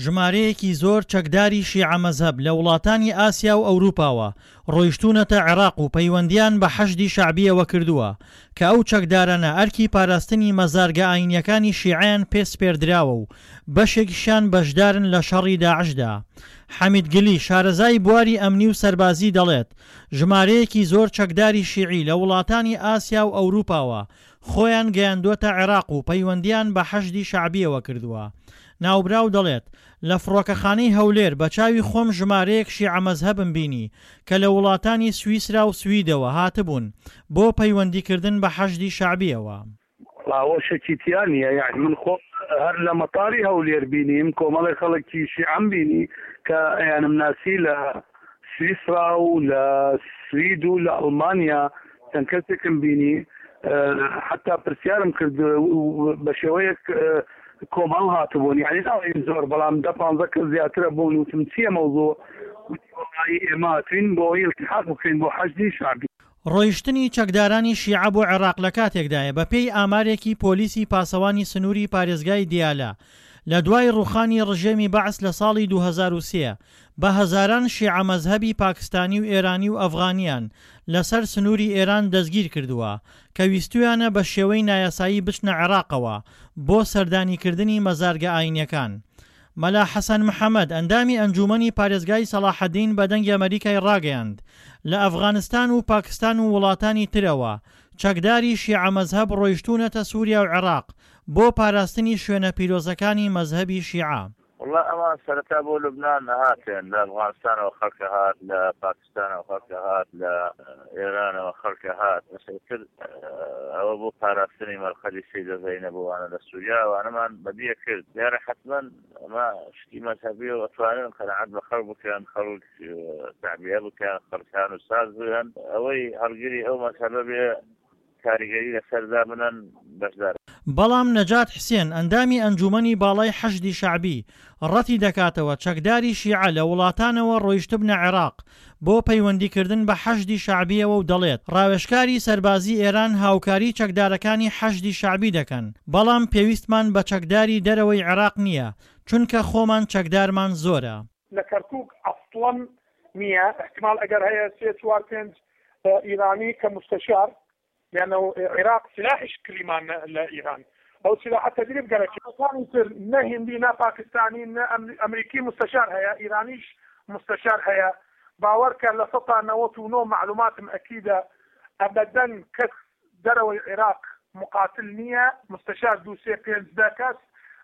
ژمارەیەکی زۆر چەکداری شیعە مەزهەب لە وڵاتانی ئاسیا و ئەوروپاوە ڕۆیشتوونەتە عێراق و پەیوەندییان بە حەشدی شەعبییەوە کردووە کە ئەو چەکدارانە ئەرکی پاراستنی مەزارگە ئاینییەکانی شیعەیان پێ سپێردراوە و بەشێکیشیان بەشدارن لە شەڕی داعشدا. حەمید گلی، شارەزای بواری ئەمنی و سەربازی دەڵێت، ژمارەیەکی زۆر چەکداری شیعی لە وڵاتانی ئاسیا و ئەوروپاوە خۆیان گەیاندووەتە عێراق و پەیوەندییان بە حەشدی شەعبییەوە کردووە. ناوبراو دەڵێت، لە فڕۆکەخانەی هەولێر بە چاوی خۆم ژمارەیەک شیعە مەزهەبم بینی کە لە وڵاتانی سویسرا و سویدەوە هاتبوون بۆ پەیوەندیکردن بە حەشدی شەعبییەوە. وەڵا ئەوە شکی تیا نییە یانی من خۆم هەر لە مەتاری هەولێر بینیم کۆمەڵێک خەڵکی شیعەم بینی کە ئەیانم ناسی لە سویسرا و لە سوید و لە ئەڵمانیا چەند کەسێکم بینی حتا پرسیارم کرد بە شێوەیەک کۆمەڵ هاتبوون یعنی ناڵێین زۆر بەڵام دە پانزە کەس زیاترە بوون وتم چییە مەوزوع وتی وەڵایی ئێمە هاتوین بۆ ئەوەی التحاق بکەین بۆ حەشدی شەعبی. ڕۆیشتنی چەکدارانی شیعە بۆ عێراق لە کاتێکدایە بەپێی ئامارێکی پۆلیسی پاسەوانی سنووری پارێزگای دیالە لە دوای ڕووخانی ڕژێمی بەعس لە ساڵی 2003 بە هەزاران شیعە مەزهەبی پاکستانی و ئێرانی و ئەفغانیان لەسەر سنووری ئێران دەستگیرکردووە کە ویستویانە بە شێوەی نایاسایی بچنە عێراقەوە بۆ سەردانیکردنی مەزارگە ئاینیەکان. مەلا حەسەن محەمەد، ئەندامی ئەنجوومەنی پارێزگای سەڵاحەدین بە دەنگی ئەمەریکای ڕاگەیاند، لە ئەفغانستان و پاکستان و وڵاتانی ترەوە چەکداری شیعە مەزهەب ڕۆیشتوونەتە سوریا و عێراق بۆ پاراستنی شوێنە پیرۆزەکانی مەزهەبی شیعە. وەڵا ئەوان سەرەتا بۆ لوبنان ئەهاتن، لە ئەفغانستانەوە خەڵک ئەهات، لە پاکستانەوە خەڵک ئەهات، لە ئێرانەوە خەڵک ئەهات، بەس ئیتر ئەوە بۆ پاراستنی مەرقەدی سەیدە زەینەب و ئەوانە لە سووریا ئەوانەمان بەدیە کرد. دیارە حەتمەن ئەمە شتی مەزهەبیە و ئەتوانن قەناعەت بە خەڵک بکەن، خەڵک تەعبیە بکەن، خەڵک هان و ساز بکەن، ئەوەی هەڵگری ئەو مەزهەبە بێ کاریگەری لەسەر دابنەن بەشدار. بەڵام نەجات حسێن، ئەندامی ئەنجوومەنی باڵای حەشدی شەعبی، ڕەتی دەکاتەوە چەکداری شیعە لە وڵاتانەوە ڕۆیشتبنە عێراق بۆ پەیوەندیکردن بە حەشدی شەعبییەوە و دەڵێت، ڕاوێژکاری سەربازی ئێران هاوکاری چەکدارەکانی حەشدی شەعبی دەکەن، بەڵام پێویستمان بە چەکداری دەرەوەی عێراق نییە، چونکە خۆمان چەکدارمان زۆرە. لە کەرکوک ئەسڵەن نییە احتمال ئەگەر هەیە سێ چوار پێنج ئیرانی کە مستەشار لانه عێراق سلاحیش کریمان لە ئیران ئەو سلاحە تەدریب گەرەکی ئەوانی تر نە هندی نە پاکستانی نە ئەمریکی مستەشار هەیە ئیرانیش مستەشار هەیە باوەرکە لە سەتا 99 معلوماتم ئەکیدە ئەبەدەن کەس دەرەوەی عێراق مقاتل نییە مستەشار دوو سێ پێنج دە کەس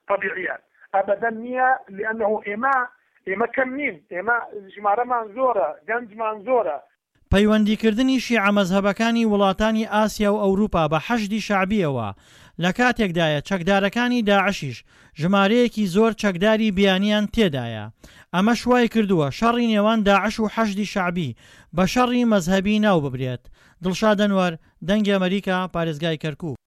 تەبیعیە ئەبەدەن نییە لانه ئێمە ئێمە کەم نین ئێمە ژمارەمان زۆرە گەنجمان زۆرە. پەیوەندیکردنی شیعە مەزهەبەکانی وڵاتانی ئاسیا و ئەوروپا بە حەشدی شەعبییەوە لە کاتێکدایە چەکدارەکانی داعشیش ژمارەیەکی زۆر چەکداری بیانیان تێدایە ئەمەش وایکردووە شەڕی نێوان داعش و حەشدی شەعبی بە شەڕی مەزهەبی ناوببرێت. دڵشاد ئەنوەر، دەنگی ئەمەریکا، پارێزگای کەرکوک.